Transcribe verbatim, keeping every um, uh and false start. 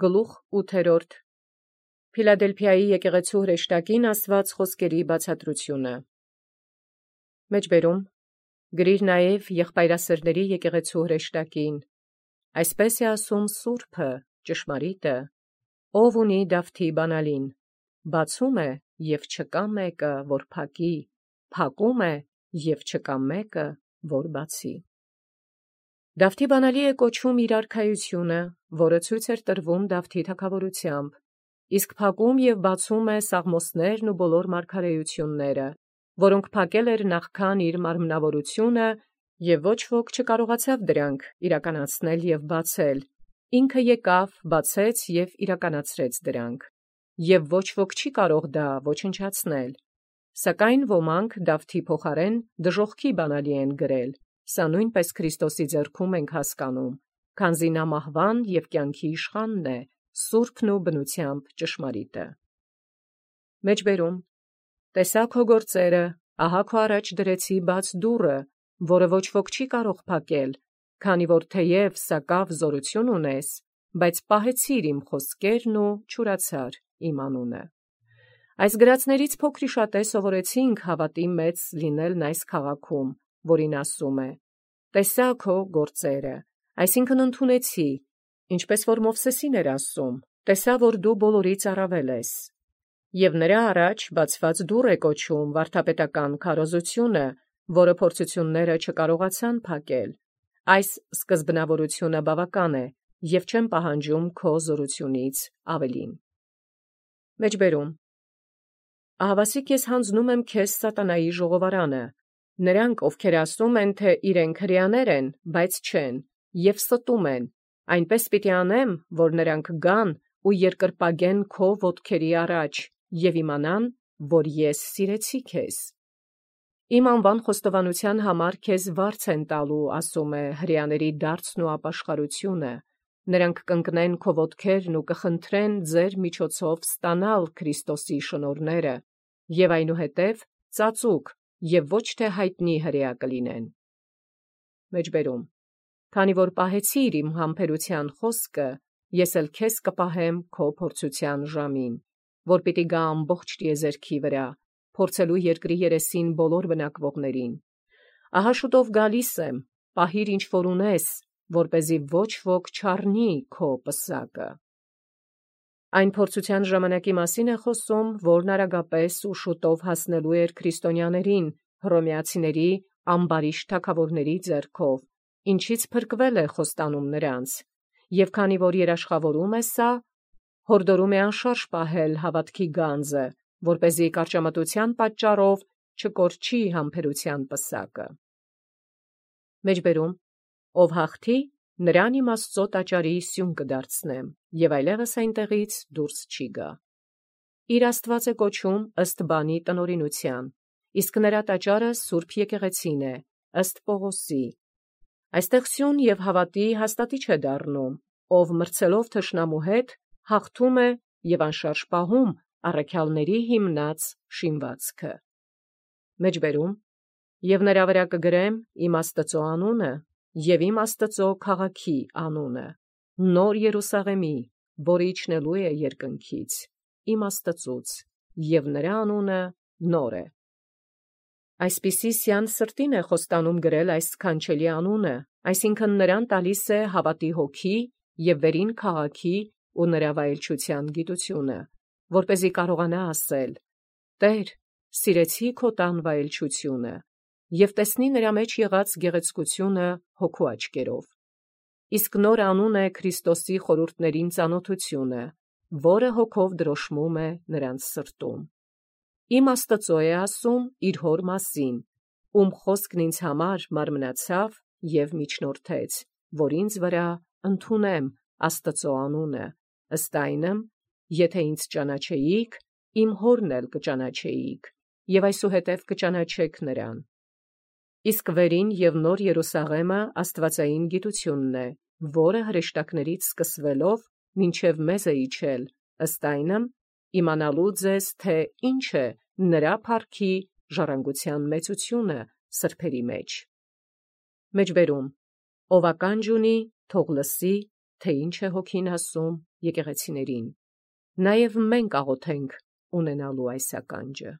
Գլուխ ութերորդ Փիլադելփիայի եկեղեցու հրեշտակին ասված խոսքերի բացատրությունը։ Մեջբերում գրիր նաև եղբայրասերների եկեղեցու հրեշտակին։ Այսպես է ասում Սուրբը, ճշմարիտը, ով ունի Դավթի բանալին, բացում է և չկա մեկը, որ փակի, փակում է և չկա մեկը, որ բացի։ Դավթի բանալի է կոչում իր արքայությունը, որը ցույց էր տրվում Դավթի թագավորությամբ, իսկ փակում և բացում է Սաղմոսներն ու բոլոր մարգարեությունները, որոնք փակել էր նախքան իր մարմնավորությունը, և ոչ ոք չկարողացավ դրանք իրականացնել և բացել, ինքը եկավ, բացեց և իրականացրեց դրանք, և ոչ ոք չի կարող դա ոչնչացնել։ Սակայն ոմանք Դավթի փոխարեն դժոխքի բանալի են գրել, սա նույնպես Քրիստոսի ձեռքում ենք հասկանում, քանզի նա մահվան և կյանքի իշխանն է, սուրբն ու բնությամբ ճշմարիտը։ Մեջբերում տեսա քո գործերը, ահա քո առաջ դրեցի բաց դուռը, որը ոչ ոք չի կարող փակել, քանի որ թեև սակավ զորություն ունես, բայց պահեցիր իմ խոսքերն ու չուրացար իմ անունը։ Այս գրածներից փոքրիշատե սովորեցինք հավատի մեծ լինելն այս քաղաքում, որին ասում է. տեսա քո գործերը, այսինքն ընդունեցի, ինչպես որ Մովսեսին էր ասում, տեսա, որ դու բոլորից առավել ես։ Եվ նրա առաջ բացված դուռ է կոչում վարդապետական քարոզությունը, որը փորձությունները չկարողացան փակել։ Այս սկզբնավորությունը բավական է, և չեմ պահանջում քո զորությունից ավելին։ Մեջբերում ահավասիկ ես հանձնում եմ քեզ սատանայի ժողովարանը, նրանք, ովքեր ասում են, թե իրենք հրեաներ են, բայց չեն, և ստում են, այնպես պիտի անեմ, որ նրանք գան ու երկրպագեն քո ոտքերի առաջ և իմանան, որ ես սիրեցի քեզ։ Իմ անվան խոստովանության համար քեզ վարձ են տալու, ասում է, հրեաների դարձն ու ապաշխարությունը, նրանք կընկնեն քո ոտքերն ու կխնդրեն ձեր միջոցով ստանալ Քրիստոսի շնորհները, և այնուհետև ծածուկ և ոչ թե հայտնի հրեա կլինեն։ Մեջբերում քանի որ պահեցիր իմ համբերության խոսքը, ես էլ քեզ կպահեմ քո փորձության ժամին, որ պիտի գա ամբողջ տիեզերքի վրա, փորձելու երկրի երեսին բոլոր բնակվողներին։ Ահա շուտով գալիս եմ, պահիր ինչ որ ունես, որպեսզի ոչ ոք չառնի քո պսակը։ Այն փորձության ժամանակի մասին է խոսում, որն արագապես ու շուտով հասնելու էր քրիստոնյաներին, հռոմեացիների ամբարիշտ թագավորների ձեռքով, ինչից փրկվել է խոստանում նրանց, և քանի որ երաշխավորում է սա, հորդորում է անշարժ պահել հավատքի գանձը, որպեսզի կարճամտության պատճառով չկորչի համբերության պսակը։ Մեջբերում ով հաղթի, նրան իմ Աստծո տաճարի սյուն կդարձնեմ, և այլևս այնտեղից դուրս չի գա։ Իր Աստված է կոչում ըստ բանի տնօրինության, իսկ նրա տաճարը Սուրբ եկեղեցին է, ըստ Պողոսի։ Այստեղ սյուն և հավատի հաստատիչ է դառնում, ով մրցելով թշնամու հետ, հաղթում է և անշարժ պահում առաքյալների հիմնած շինվածքը։ Մեջբերում և նրա վրա կգրեմ իմ Աստծո անունը և իմ Աստծո քաղաքի անունը, նոր Երուսաղեմի, որը իջնելու է երկնքից, իմ Աստծուց, և նրա անունը նոր է։ Այսպիսի սյան սրտին է խոստանում գրել այս սքանչելի անունը, այսինքն նրան տալիս է հավատի հոգի և վերին քաղաքի ու նրա վայելչության գիտությունը, որպեսզի կարողանա ասել. «Տեր, սիրեցի քո տան վայելչությունը» և տեսնի նրա մեջ եղած գեղեցկությունը հոգու աչքերով։ Իսկ նոր անուն է Քրիստոսի խորհուրդներին ծանոթությունը, որը հոգով դրոշմում է նրանց սրտում։ Իմ Աստծո է ասում իր հոր մասին, ում խոսքն ինձ համար մարմնացավ և միջնորդեց, որ ինձ վրա ընդունեմ Աստծո անունը, ըստ այնմ, եթե ինձ ճանաչեիք, իմ հորն էլ կճանաչեիք, և այսուհետև կճանաչեք նրան։ Իսկ վերին և նոր Երուսաղեմը աստվածային գիտությունն է, որը հրեշտակներից սկսվելով մինչև մեզ է իջել, ըստ այնմ, իմանալու ձեզ, թե ինչ է նրա փառքի ժառանգության մեծությունը սրբերի մեջ։ Մեջբերում ով ականջ ունի, թող լսի, թե ինչ է հոգին ասում եկեղեցիներին։ Նաև մենք աղոթենք ունենալու այս ականջը։